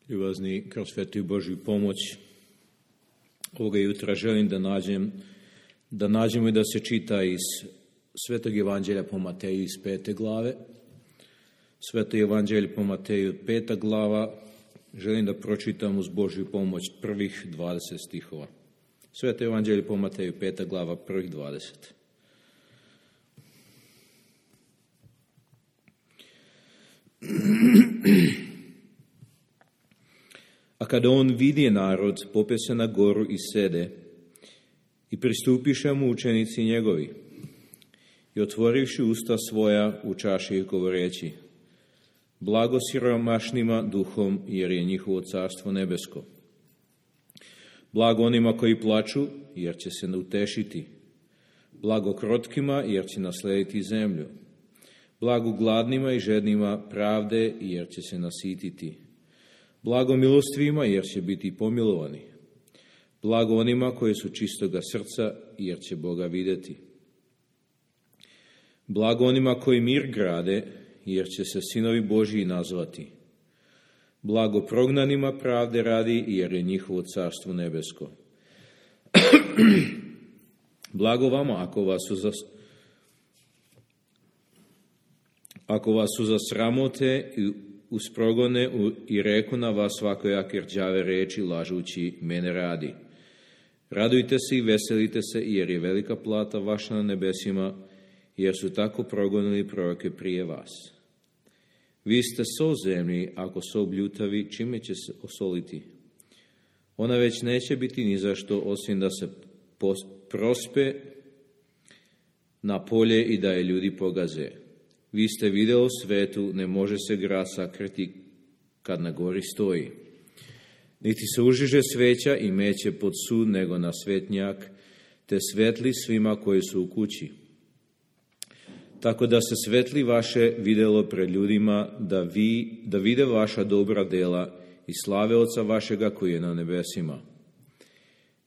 Ljubazni, kroz svetu Božju pomoć ovoga jutra želim da nađemo i da se čita iz Svetog Evanđelja po Mateju iz 5. glave. Sveto Evanđelje po Mateju 5. glava. Želim da pročitam uz Božju pomoć prvih 20 stihova. Sveto Evanđelje po Mateju 5. glava, prvih 20. A kada on vidje narod, pope se na goru i sede, i pristupiše mu učenici njegovi, i otvorivši usta svoja, učaše ih govoreći: Blago siromašnima duhom, jer je njihovo carstvo nebesko. Blago onima koji plaču, jer će se utešiti. Blago krotkima, jer će naslediti zemlju. Blago gladnima i žednima pravde, jer će se nasititi. Blago milostivima, jer će biti pomilovani. Blago onima koji su čistoga srca, jer će Boga vidjeti. Blago onima koji mir grade, jer će se sinovi Božji nazvati. Blago prognanima pravde radi, jer je njihovo carstvo nebesko. Blago vama ako vas su zasramote i usprogone i reku na vas svakojake rđave reči, lažući mene radi. Radujte se i veselite se, jer je velika plata vaša na nebesima, jer su tako progonili proroke prije vas. Vi ste so zemlji, ako so bljutavi, čime će se osoliti? Ona već neće biti ni zašto, osim da se prospe na polje i da je ljudi pogaze. Vi ste video svetu, ne može se grad sakriti kad na gori stoji. Niti se užiže sveća i meće pod sud, nego na svetnjak, te svetli svima koji su u kući. Tako da se svetli vaše videlo pred ljudima, da vide vaša dobra dela i slave Oca vašega koji je na nebesima.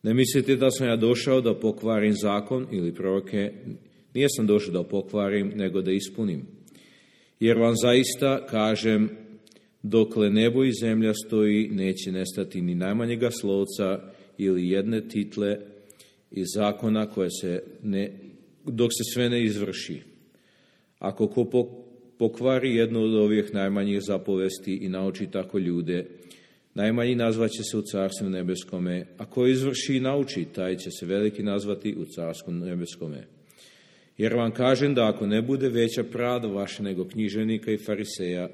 Ne mislite da sam ja došao da pokvarim zakon ili proroke? Nijesam došao da pokvarim, nego da ispunim. Jer vam zaista kažem, dokle nebo i zemlja stoji, neće nestati ni najmanjega slovca ili jedne title iz zakona dok se sve ne izvrši. Ako ko pokvari jednu od ovih najmanjih zapovesti i nauči tako ljude, najmanji nazvaće se u carstvu nebeskome, a ko izvrši i nauči, taj će se veliki nazvati u carstvu nebeskome. Jer vam kažem da ako ne bude veća pravda vaša nego književnika i fariseja,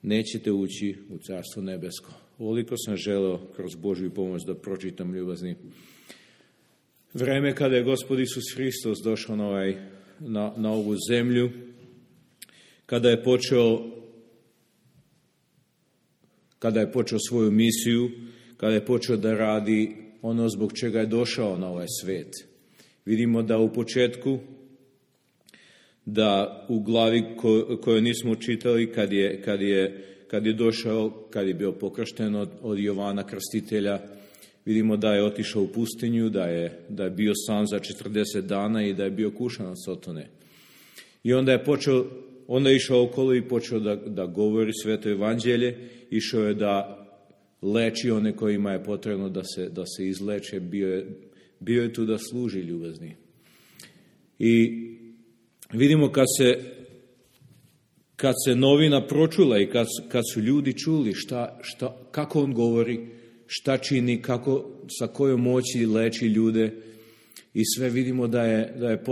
nećete ući u carstvo nebesko. Ovoliko sam želeo kroz Božju pomoć da pročitam, ljubazni. Vreme kada je Gospod Isus Hristos došao na ovu zemlju, kada je počeo svoju misiju, kada je počeo da radi ono zbog čega je došao na ovaj svet. Vidimo da u početku, da u glavi koju nismo čitali, kad je došao, kad je bio pokršten od Jovana Krstitelja, vidimo da je otišao u pustinju, da je bio sam za 40 dana i da je bio kušan od Sotone. I onda je išao okolo i počeo da govori sveto evanđelje, išao je da leči one kojima je potrebno da se izleče, bio je tu da služi, ljubazni. I vidimo kad se novina pročula i kad su ljudi čuli kako on govori, šta čini, sa kojom moći leči ljude, i sve vidimo da je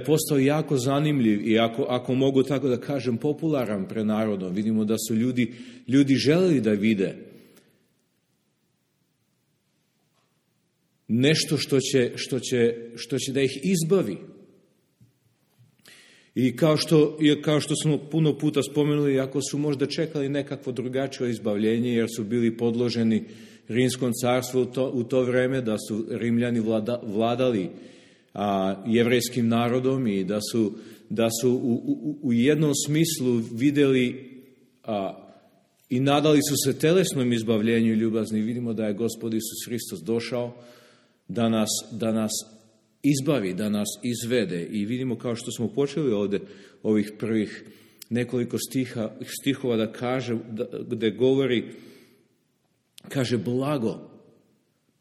postao jako zanimljiv i ako mogu tako da kažem popularan pred narodom. Vidimo da su ljudi želeli da vide nešto što će da ih izbavi. I kao što smo puno puta spomenuli, ako su možda čekali nekakvo drugačije izbavljenje, jer su bili podloženi Rimskom carstvu u to vreme, da su Rimljani vladali jevrejskim narodom i da su u jednom smislu vidjeli i nadali su se telesnom izbavljenju, ljubazni. Vidimo da je Gospod Isus Hristos došao da nas izbavi, da nas izvede. I vidimo, kao što smo počeli ovdje ovih prvih nekoliko stihova da kaže, gde govori, kaže blago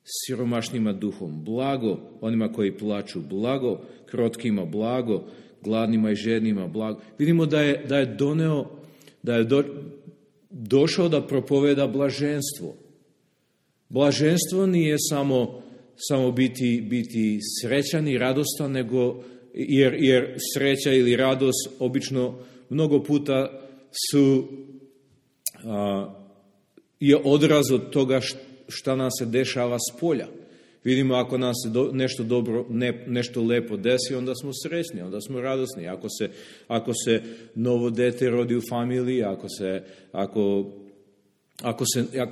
siromašnima duhom, blago onima koji plaču, blago krotkima, blago gladnima i žednima, blago. Vidimo da je doneo, da je došao da propoveda blaženstvo. Blaženstvo nije samo biti srećan i radostan, nego jer sreća ili radost obično mnogo puta je odraz od toga šta nam se dešava s polja. Vidimo, ako nam se nešto dobro, nešto lepo desi, onda smo srećni, onda smo radosni. Ako se novo dete rodi u familiji,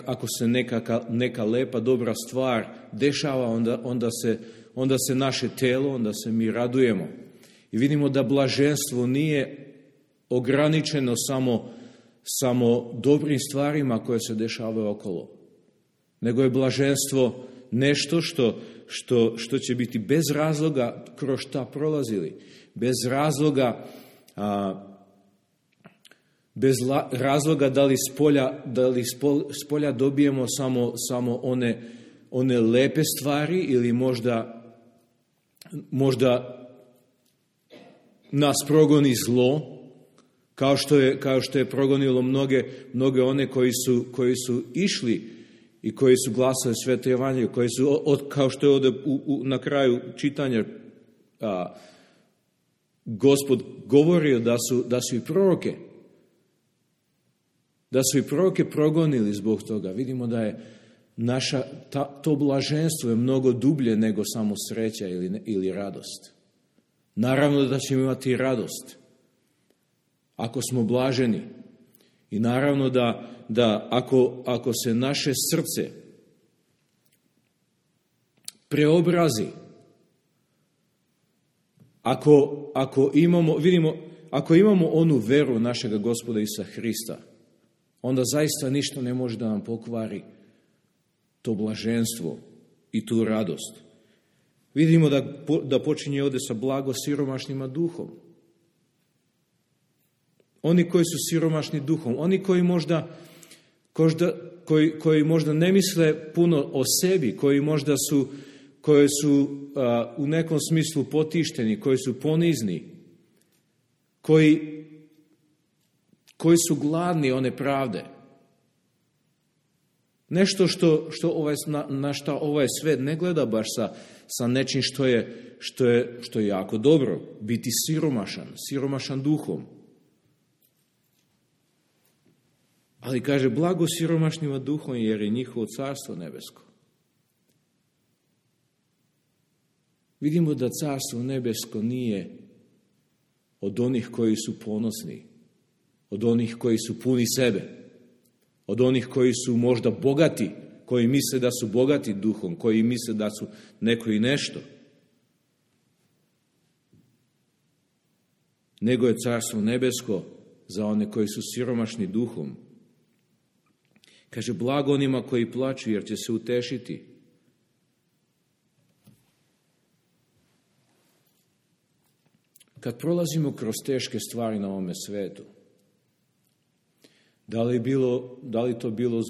ako se neka lepa, dobra stvar dešava, onda se naše telo, onda se mi radujemo. I vidimo da blaženstvo nije ograničeno samo dobrim stvarima koje se dešavaju okolo, nego je blaženstvo nešto što će biti bez razloga kroz šta prolazili, bez razloga, da li s polja dobijemo samo one lepe stvari ili možda nas progoni zlo, kao što je progonilo mnoge one koji su išli i koji su glasali Sveto evanđelje, koji su, kao što je ovdje na kraju čitanja, Gospod govorio da su i proroke progonili zbog toga. Vidimo da je to blaženstvo je mnogo dublje nego samo sreća ili radost. Naravno da ćemo imati radost ako smo blaženi. I naravno da ako se naše srce preobrazi, ako imamo onu veru našega Gospoda Isusa Hrista, onda zaista ništa ne može da nam pokvari to blaženstvo i tu radost. Vidimo da počinje ovdje sa blago siromašnima duhom. Oni koji su siromašni duhom, oni koji možda ne misle puno o sebi, koji su u nekom smislu potišteni, koji su ponizni, koji su gladni one pravde. Nešto na što ovaj svet ne gleda baš sa nečim što je jako dobro, biti siromašan duhom. Ali kaže, blago siromašnima duhom, jer je njihovo carstvo nebesko. Vidimo da carstvo nebesko nije od onih koji su ponosni, od onih koji su puni sebe, od onih koji su možda bogati, koji misle da su bogati duhom, koji misle da su neko i nešto. Nego je carstvo nebesko za one koji su siromašni duhom. Kaže, blago onima koji plaču, jer će se utešiti. Kad prolazimo kroz teške stvari na ovome svetu, da li to bilo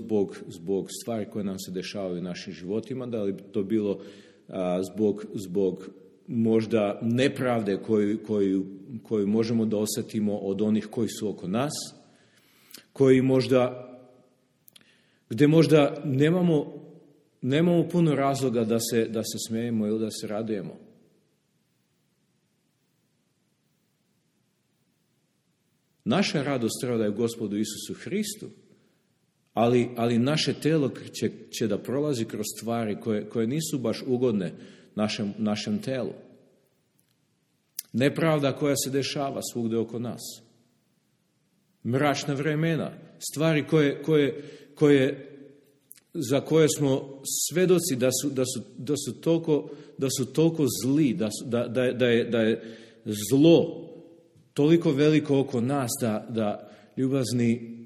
zbog stvari koje nam se dešavaju u našim životima, da li to bilo zbog možda nepravde koju možemo da osjetimo od onih koji su oko nas, gdje možda nemamo puno razloga da se smijemo ili da se radujemo. Naša radost treba da je Gospodu Isusu Hristu, ali naše telo će da prolazi kroz stvari koje nisu baš ugodne našem telu. Nepravda koja se dešava svugdje oko nas. Mračna vremena, stvari za koje smo svedoci da su toliko zli, da je zlo toliko veliko oko nas da ljubazni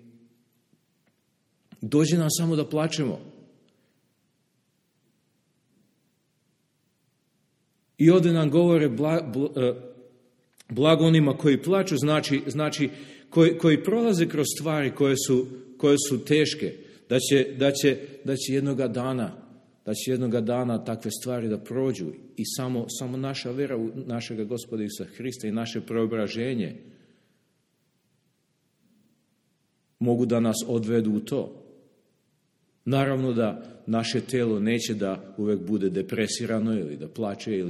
dođe nam samo da plačemo. I ovdje nam govore blago onima koji plaču, znači koji prolaze kroz stvari koje su teške, da će jednoga dana takve stvari da prođu i samo naša vera u našega Gospoda Isusa Hrista i naše preobraženje mogu da nas odvedu u to. Naravno da naše telo neće da uvek bude depresirano ili da plače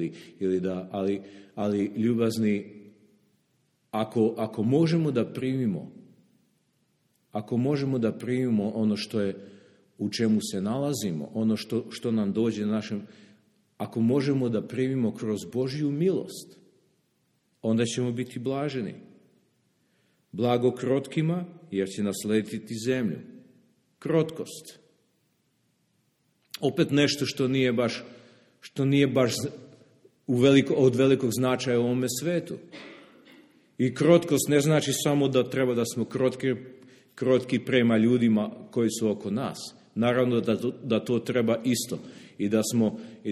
ali ljubazni, ako možemo da primimo ono što je u čemu se nalazimo, ono što nam dođe našem, ako možemo da primimo kroz Božju milost, onda ćemo biti blaženi. Blago krotkima, jer će naslediti zemlju. Krotkost. Opet nešto što nije baš od velikog značaja u ovome svetu. I krotkost ne znači samo da treba da smo krotki prema ljudima koji su oko nas. Naravno da to treba isto. I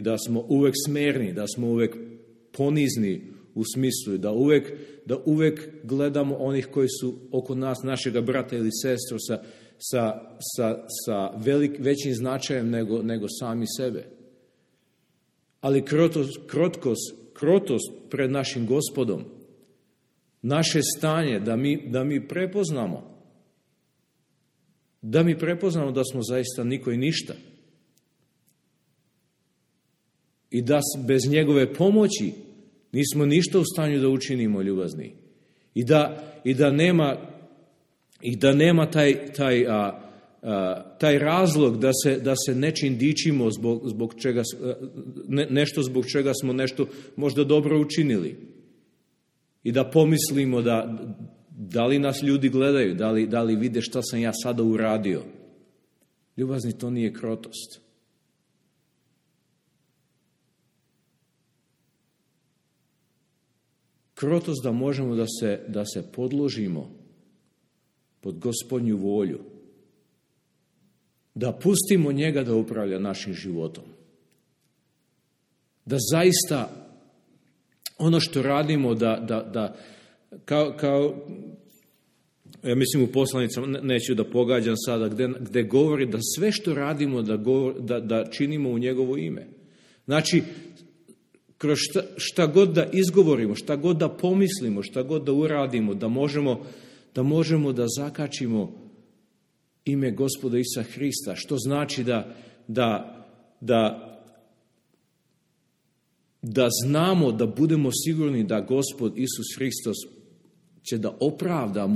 da smo uvek smerni, da smo uvek ponizni u smislu da uvek gledamo onih koji su oko nas, našega brata ili sestru sa većim značajem nego sami sebe. Ali krotost pred našim Gospodom, naše stanje da mi prepoznamo da smo zaista niko i ništa i da bez njegove pomoći nismo ništa u stanju da učinimo, ljubazni. I da nema taj razlog da se nečim dičimo zbog čega smo nešto možda dobro učinili. I da pomislimo da li nas ljudi gledaju, da li vide šta sam ja sada uradio. Ljubazni, to nije krotost. Krotost da možemo da se podložimo pod Gospodnju volju. Da pustimo njega da upravlja našim životom. Da zaista ono što radimo da kao ja mislim u poslanicama, neću da pogađam sada, gde govori da sve što radimo da činimo u njegovo ime. Znači, kroz šta god da izgovorimo, šta god da pomislimo, šta god da uradimo, da možemo da zakačimo ime Gospoda Isusa Hrista, što znači da znamo, da budemo sigurni da Gospod Isus Hristos će da opravda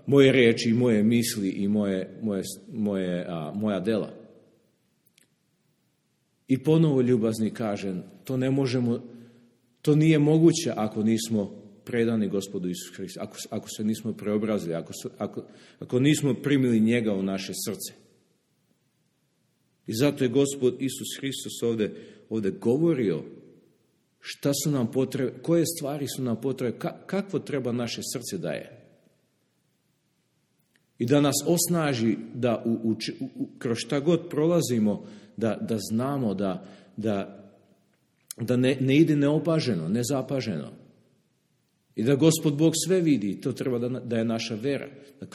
moje reči i moje misli i moja dela. I ponovo, ljubazni, kažem, to nije moguće ako nismo predani Gospodu Isusu Hristu, ako se nismo preobrazili, ako nismo primili njega u naše srce. I zato je Gospod Isus Hristos ovdje govorio šta su nam potrebe, koje stvari su nam potrebe, kakvo treba naše srce da je. I da nas osnaži da kroz šta god prolazimo, da znamo da ne ide neopaženo, nezapaženo. I da Gospod Bog sve vidi, to treba da je naša vera. Da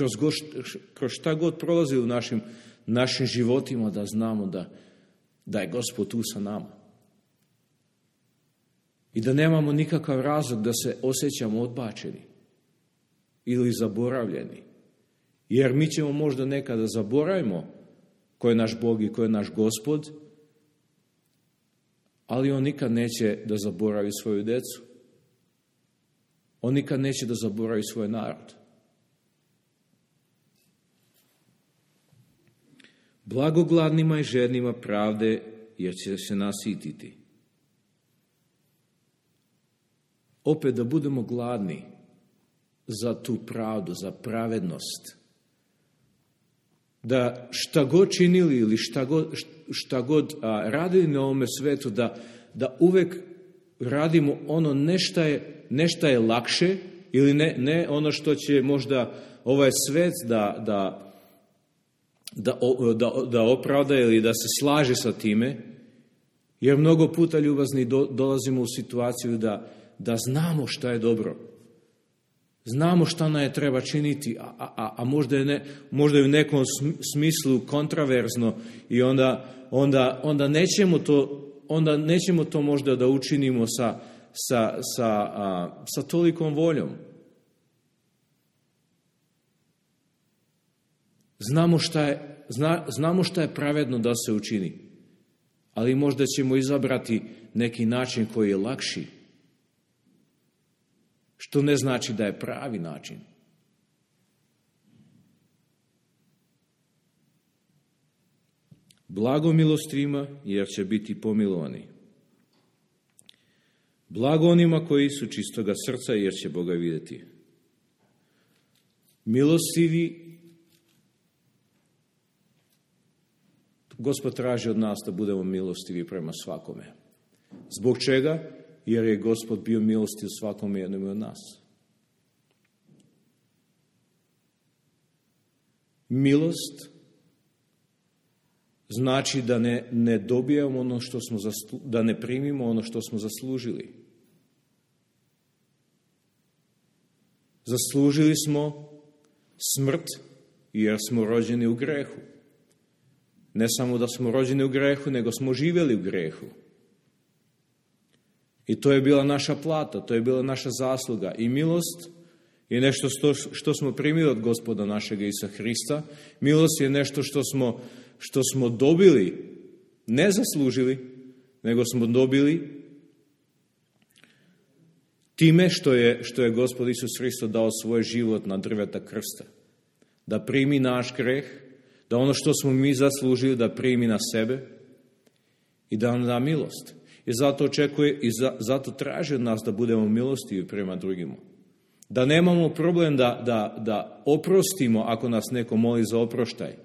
kroz šta god prolazi u našim životima, da znamo da je Gospod tu sa nama. I da nemamo nikakav razlog da se osjećamo odbačeni ili zaboravljeni. Jer mi ćemo možda nekada zaboravimo ko je naš Bog i ko je naš Gospod, ali on nikad neće da zaboravi svoju decu. On nikad neće da zaboravi svoj narod. Blago gladnima i žednima pravde, jer će se nasititi. Opet da budemo gladni za tu pravdu, za pravednost. Da šta god činili ili šta god radili na ovome svetu, da uvek radimo ono nešto je lakše ili ne ono što će možda ovaj svet da opravda ili da se slaže sa time, jer mnogo puta, ljubazni, dolazimo u situaciju da znamo šta je dobro. Znamo šta nam je treba činiti, a možda je u nekom smislu kontraverzno i onda nećemo to možda da učinimo sa tolikom voljom. Znamo šta je pravedno da se učini, ali možda ćemo izabrati neki način koji je lakši, što ne znači da je pravi način. Blago milostivima, jer će biti pomilovani. Blago onima koji su čistoga srca, jer će Boga vidjeti. Milostivi, Gospod traži od nas da budemo milostivi prema svakome. Zbog čega? Jer je Gospod bio milostiv svakome jednom od nas. Milost znači da ne dobijamo ono što smo da ne primimo ono što smo zaslužili. Zaslužili smo smrt jer smo rođeni u grehu. Ne samo da smo rođeni u grehu, nego smo živjeli u grehu. I to je bila naša plata, to je bila naša zasluga. I milost je nešto što smo primili od Gospoda našega Isusa Hrista. Milost je nešto što smo dobili, ne zaslužili, nego smo dobili time što je Gospod Isus Hristo dao svoj život na drveta krsta. Da primi naš greh, da ono što smo mi zaslužili da primi na sebe i da nam da milost. I zato očekuje i zato traži od nas da budemo milostivi prema drugima. Da nemamo problem da oprostimo ako nas neko moli za oproštaj.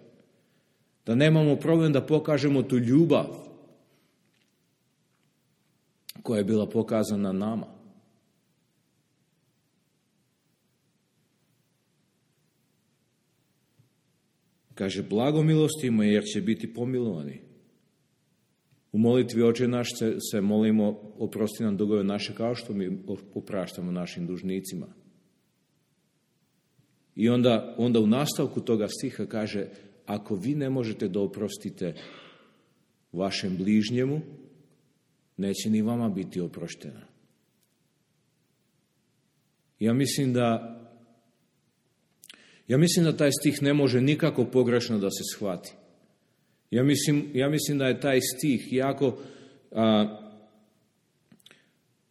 Da nemamo problem da pokažemo tu ljubav koja je bila pokazana nama. Kaže, blago milostivima jer će biti pomilovani. U molitvi Oče naš se molimo, oprosti nam dugove naše kao što mi opraštamo našim dužnicima. I onda u nastavku toga stiha kaže, ako vi ne možete da oprostite vašem bližnjemu, neće ni vama biti oproštena. Ja mislim da taj stih ne može nikako pogrešno da se shvati. Ja mislim da je taj stih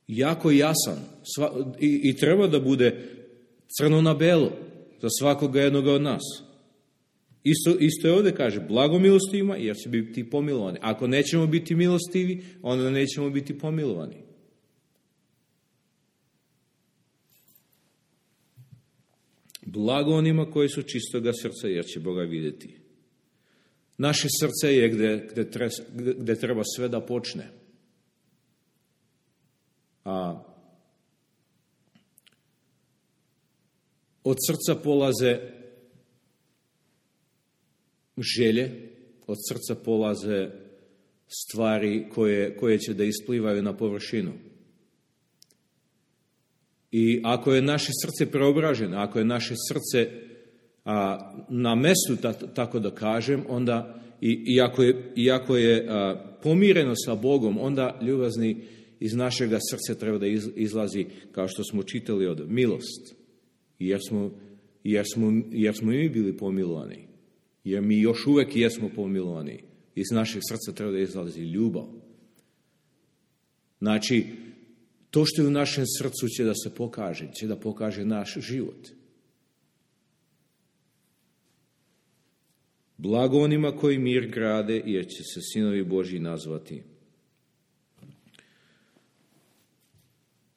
jako jasan i treba da bude crno na belo za svakoga jednoga od nas. Isto je ovdje kaže, blago milostivima jer će biti pomilovani. Ako nećemo biti milostivi, onda nećemo biti pomilovani. Blago onima koji su čistoga srca jer će Boga vidjeti. Naše srce je gdje treba sve da počne. Od srca polaze želje, od srca polaze stvari koje će da isplivaju na površinu. I ako je naše srce preobraženo, ako je naše srce na mestu, tako da kažem, onda iako je pomireno sa Bogom, onda ljubazni iz našega srca treba da izlazi, kao što smo čitali od milost. Jer smo mi bili pomilovani. Jer mi još uvek jesmo pomilovani. Iz našeg srca treba da izlazi ljubav. Znači, to što je u našem srcu će da se pokaže, će da pokaže naš život. Blago onima koji mir grade, jer će se sinovi Božji nazvati.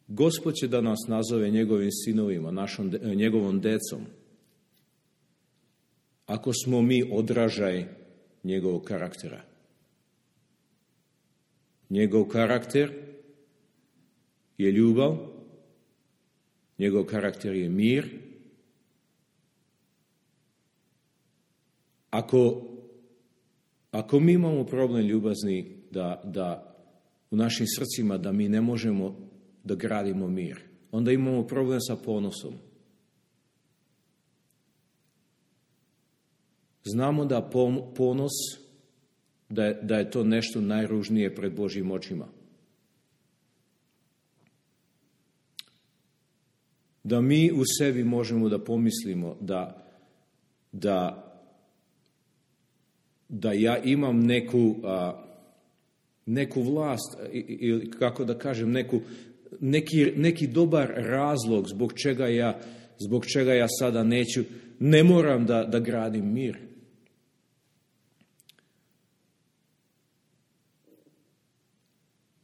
Gospod će da nas nazove njegovim sinovima, njegovom decom. Ako smo mi odražaj njegovog karaktera. Njegov karakter je ljubav, njegov karakter je mir. Ako mi imamo problem ljubazni da u našim srcima da mi ne možemo da gradimo mir, onda imamo problem sa ponosom. Znamo da ponos, da je to nešto najružnije pred Božjim očima. Da mi u sebi možemo da pomislimo da ja imam neku vlast, ili kako da kažem, neki dobar razlog zbog čega ja sada ne moram da gradim mir.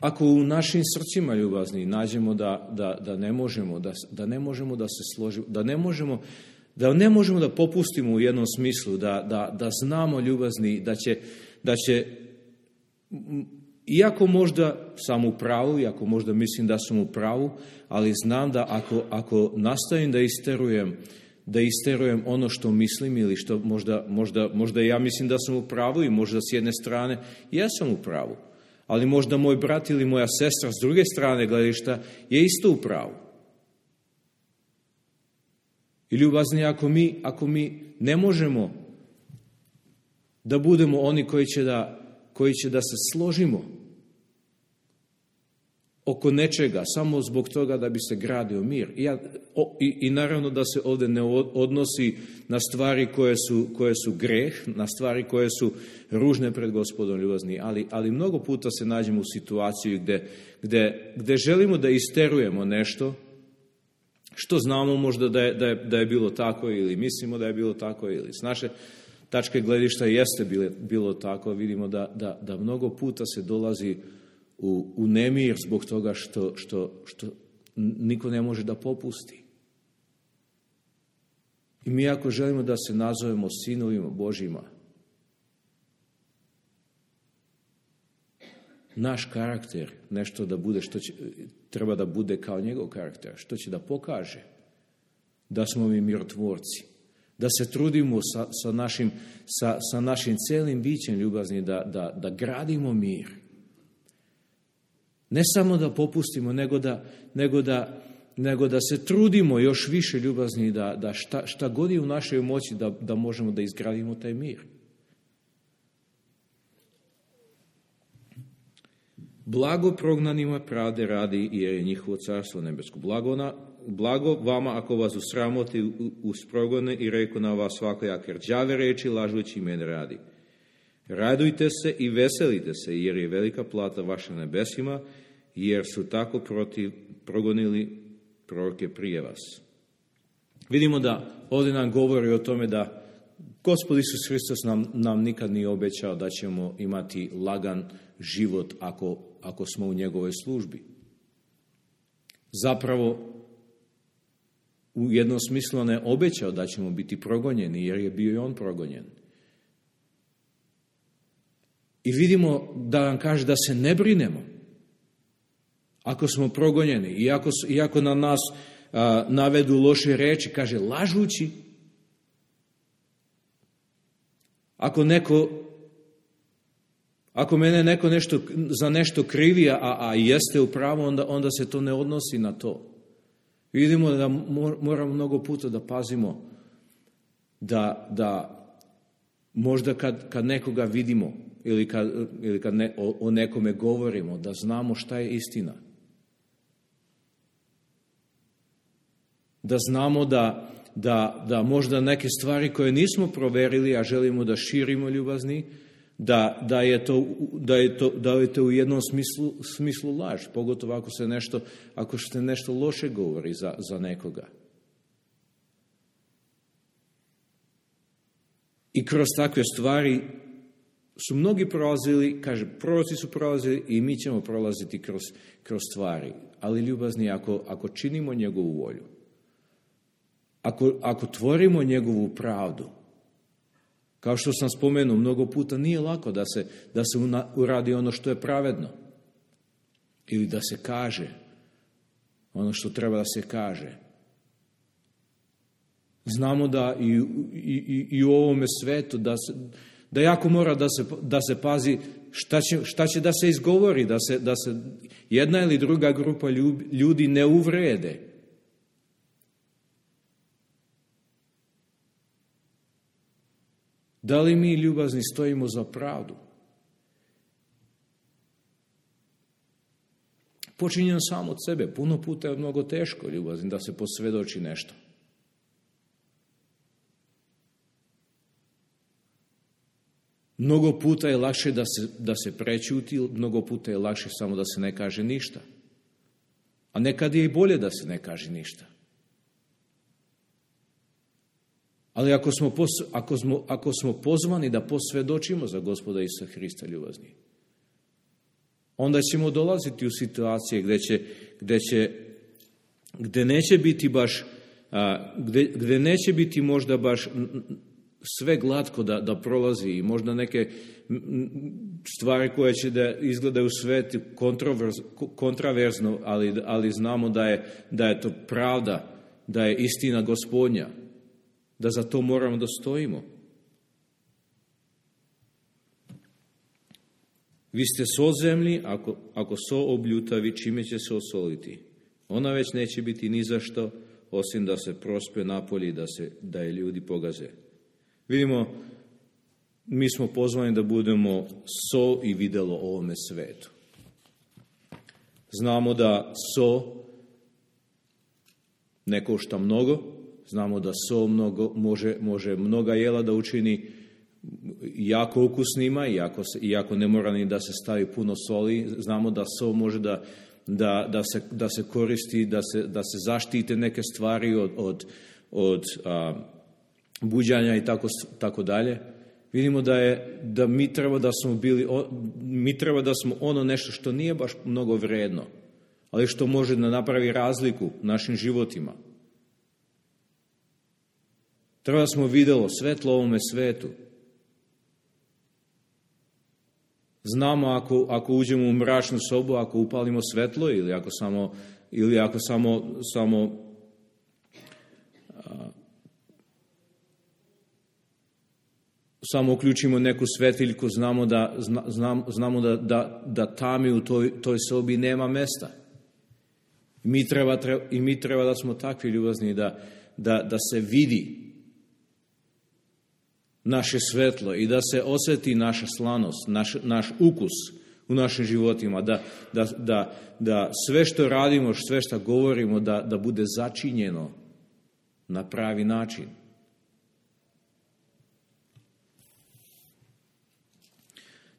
Ako u našim srcima, ljubazni, nađemo da ne možemo da se složimo, da ne možemo da popustimo u jednom smislu, da znamo, ljubazni, da će, iako možda sam u pravu, iako možda mislim da sam u pravu, ali znam da ako nastavim da isterujem ono što mislim, ili što možda ja mislim da sam u pravu, i možda s jedne strane ja sam u pravu, ali možda moj brat ili moja sestra s druge strane gledišta je isto u pravu. I ljubazni, ako mi ne možemo da budemo oni koji će da se složimo oko nečega samo zbog toga da bi se gradio mir. I naravno da se ovdje ne odnosi na stvari koje su greh, na stvari koje su ružne pred Gospodom, ljubazni, ali mnogo puta se nađemo u situaciji gdje želimo da isterujemo nešto što znamo možda da je bilo tako, ili mislimo da je bilo tako, ili s naše tačke gledišta jeste bilo tako. Vidimo da mnogo puta se dolazi u nemir zbog toga što niko ne može da popusti. I mi ako želimo da se nazovemo sinovima Božjima, naš karakter, nešto da bude treba da bude kao njegov karakter, što će da pokaže da smo mi mirotvorci, da se trudimo sa našim celim bićem, ljubazni, da gradimo mir. Ne samo da popustimo, nego da se trudimo još više, ljubazni, da šta god je u našoj moći da možemo da izgradimo taj mir. Blago prognanima pravde radi, jer je njihovo carstvo nebesko. Blago vama ako vas usramoti uz progone i reku na vas svakojake rđave reči, lažući mene radi. Radujte se i veselite se, jer je velika plata vaša nebesima, jer su tako progonili proroke prije vas. Vidimo da ovdje nam govori o tome da Gospod Isus Hristos nam nikad nije obećao da ćemo imati lagan život ako smo u njegovoj službi. Zapravo, u jednom smislu on je obećao da ćemo biti progonjeni, jer je bio i on progonjen. I vidimo da nam kaže da se ne brinemo ako smo progonjeni, iako na nas navedu loše reči, kaže lažući. Ako mene neko za nešto krivi, a jeste u pravu, onda se to ne odnosi na to. Vidimo da moramo mnogo puta da pazimo da možda kad nekoga vidimo ili kad o nekome govorimo, da znamo šta je istina. Da znamo da možda neke stvari koje nismo proverili, a želimo da širimo, ljubazni, da je to u jednom smislu laž, pogotovo ako se nešto loše govori za nekoga. I kroz takve stvari su mnogi prolazili, kaže, proroci su prolazili i mi ćemo prolaziti kroz stvari. Ali ljubazni, ako činimo njegovu volju, ako tvorimo njegovu pravdu, kao što sam spomenuo, mnogo puta nije lako da se uradi ono što je pravedno. Ili da se kaže ono što treba da se kaže. Znamo da i u ovome svetu da jako mora da se pazi šta će da se izgovori, da se jedna ili druga grupa ljudi ne uvrede. Da li mi, ljubazni, stojimo za pravdu? Počinjem sam od sebe. Puno puta je mnogo teško, ljubazni, da se posvjedoči nešto. Mnogo puta je lakše da se prečuti, mnogo puta je lakše samo da se ne kaže ništa. A nekad je i bolje da se ne kaže ništa. Ali ako smo pozvani da posvjedočimo za Gospoda Isusa Hrista, ljubazni, onda ćemo dolaziti u situacije gdje neće biti baš, gdje neće biti možda baš sve glatko da prolazi i možda neke stvari koje će da izgledaju svet kontraverzno, ali znamo da je to pravda, da je istina Gospodnja, da za to moramo da stojimo. Vi ste so zemlji, ako so obljutavi, čime će se osoliti? Ona već neće biti ni za što, osim da se prospe napolje da je ljudi pogaze. Vidimo, mi smo pozvani da budemo so i videlo ovome svetu. Znamo da so ne košta mnogo, znamo da so može mnoga jela da učini jako ukusnima, iako ne mora ni da se stavi puno soli. Znamo da so može da se koristi, da se zaštite neke stvari od buđanja i tako dalje. Vidimo da mi treba da smo ono nešto što nije baš mnogo vredno, ali što može da napravi razliku u našim životima. Treba da smo vidjelo svetlo ovome svetu. Znamo ako uđemo u mračnu sobu, ako upalimo svetlo ili ako samo uključimo neku svetiljku, znamo da tami u toj sobi nema mesta. I mi treba da smo takvi, ljubazni, da se vidi naše svetlo i da se osjeti naša slanost, naš ukus u našim životima, da sve što radimo, sve što govorimo, da bude začinjeno na pravi način.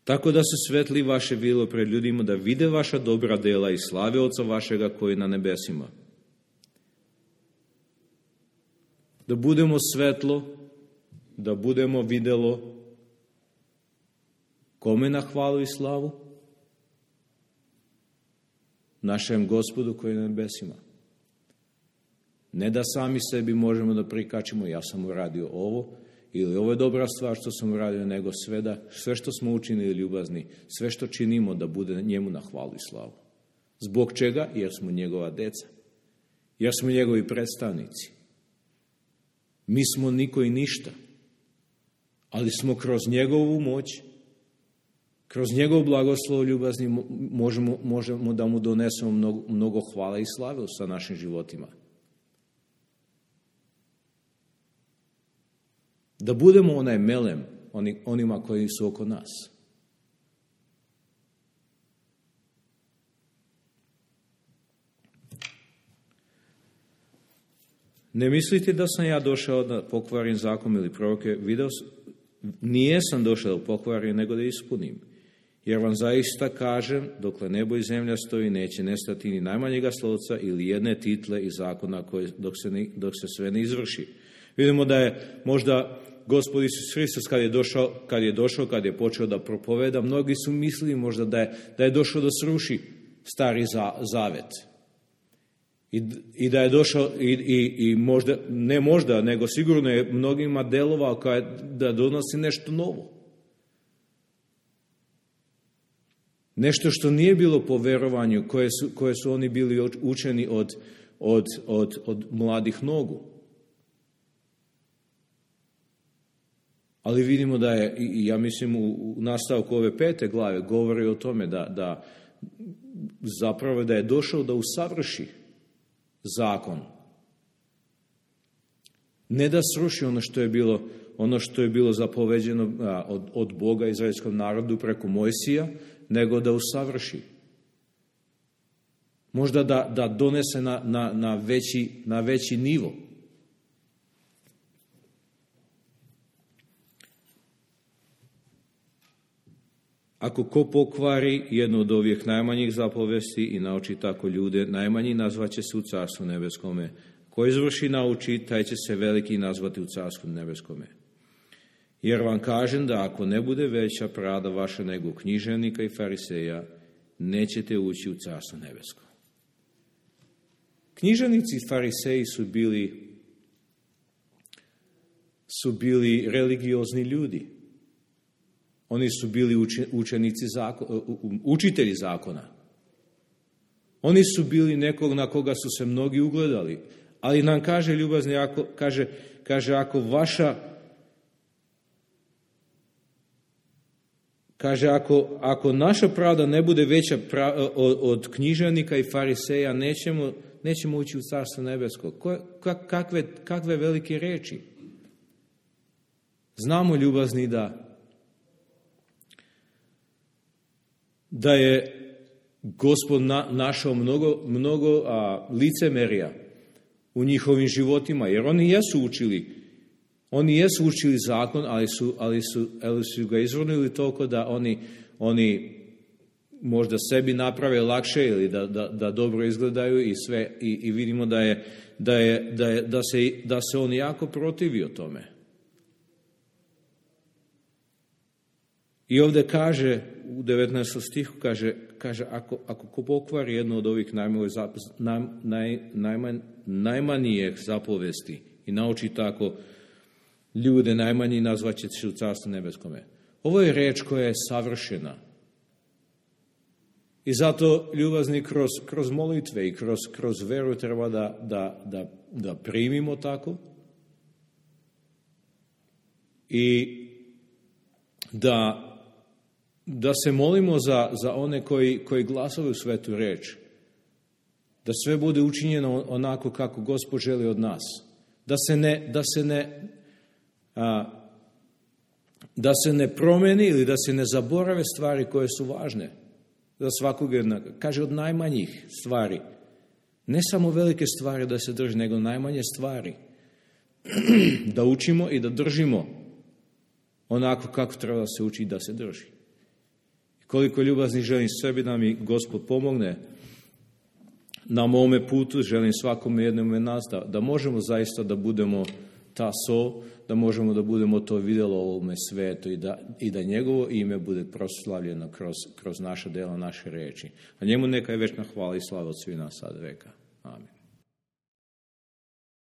Tako da se svetli vaše bilo pred ljudima, da vide vaša dobra dela i slave Oca vašega koji je na nebesima. Da budemo svetlo, da budemo videlo kome na hvalu i slavu? Našem Gospodu koji je na nebesima. Ne da sami sebi možemo da prikačimo, ja sam uradio ovo, ili ovo je dobra stvar što sam uradio, nego sve što smo učinili, ljubazni, sve što činimo da bude njemu na hvalu i slavu. Zbog čega? Jer smo njegova deca. Jer smo njegovi predstavnici. Mi smo niko i ništa. Ali smo kroz njegovu moć, kroz njegov blagoslov, ljubazni, možemo da mu donesemo mnogo hvala i slave sa našim životima. Da budemo onaj melem onima koji su oko nas. Ne mislite da sam ja došao da pokvarim zakon ili proroke, nijesam došao da pokvarim, nego da ispunim. Jer vam zaista kažem, dokle nebo i zemlja stoji, neće nestati ni najmanjega slovca ili jedne title iz zakona dok se sve ne izvrši. Vidimo da je možda Gospod Isus Hristos kad je počeo da propoveda, mnogi su mislili možda da je došao da sruši stari zavet. I da je došao i možda, ne možda, nego sigurno je mnogima delovao da donosi nešto novo. Nešto što nije bilo po verovanju koje su oni bili učeni od mladih nogu. Ali vidimo da je, ja mislim, u nastavku ove 5. glave govori o tome da zapravo da je došao da usavrši zakon. Ne da sruši ono što je bilo zapoveđeno od Boga izraelskom narodu preko Mojsija, nego da usavrši. Možda da donese na veći nivo. Ako ko pokvari jednu od ovih najmanjih zapovesti i nauči tako ljude, najmanji nazvaće se u Carstvu nebeskome. Ko izvrši nauči, taj će se veliki nazvati u Carstvu nebeskome. Jer vam kažem da ako ne bude veća pravda vaša nego književnika i fariseja, nećete ući u Carstvo nebesko. Književnici i fariseji su bili religiozni ljudi. Oni su bili učitelji zakona. Oni su bili nekog na koga su se mnogi ugledali. Ali nam kaže ljubazni, ako naša pravda ne bude veća od književnika i fariseja, nećemo ući u Carstvo nebesko. Kakve velike reči. Znamo, ljubazni, da je Gospod našao mnogo licemerja u njihovim životima, jer oni jesu učili zakon, ali su ga izvrnuli toliko da oni možda sebi naprave lakše ili da dobro izgledaju i sve, i vidimo da se on jako protivio tome. I ovdje kaže, u 19. stihu kaže ako ko pokvari jednu od ovih najmanjih zapovesti i nauči tako ljude, najmanji nazvaće se u Carstvu nebeskome. Ovo je reč koja je savršena. I zato, ljubazni, kroz molitve i kroz veru treba da primimo tako i da se molimo za one koji glasaju svetu reč. Da sve bude učinjeno onako kako Gospod želi od nas. Da se ne promeni ili da se ne zaborave stvari koje su važne za svakog jednog. Kaže, od najmanjih stvari. Ne samo velike stvari da se drži, nego najmanje stvari. Da učimo i da držimo onako kako treba da se uči da se drži. Koliko ljubazni želim sebi da mi Gospod pomogne na mome putu, želim svakome jednome nas da možemo zaista da budemo ta sol, da možemo da budemo to vidjelo u ovome svetu i da njegovo ime bude proslavljeno kroz naša dela, naše reči. A njemu neka je večna hvala i slava od svih nas sad veka. Amen.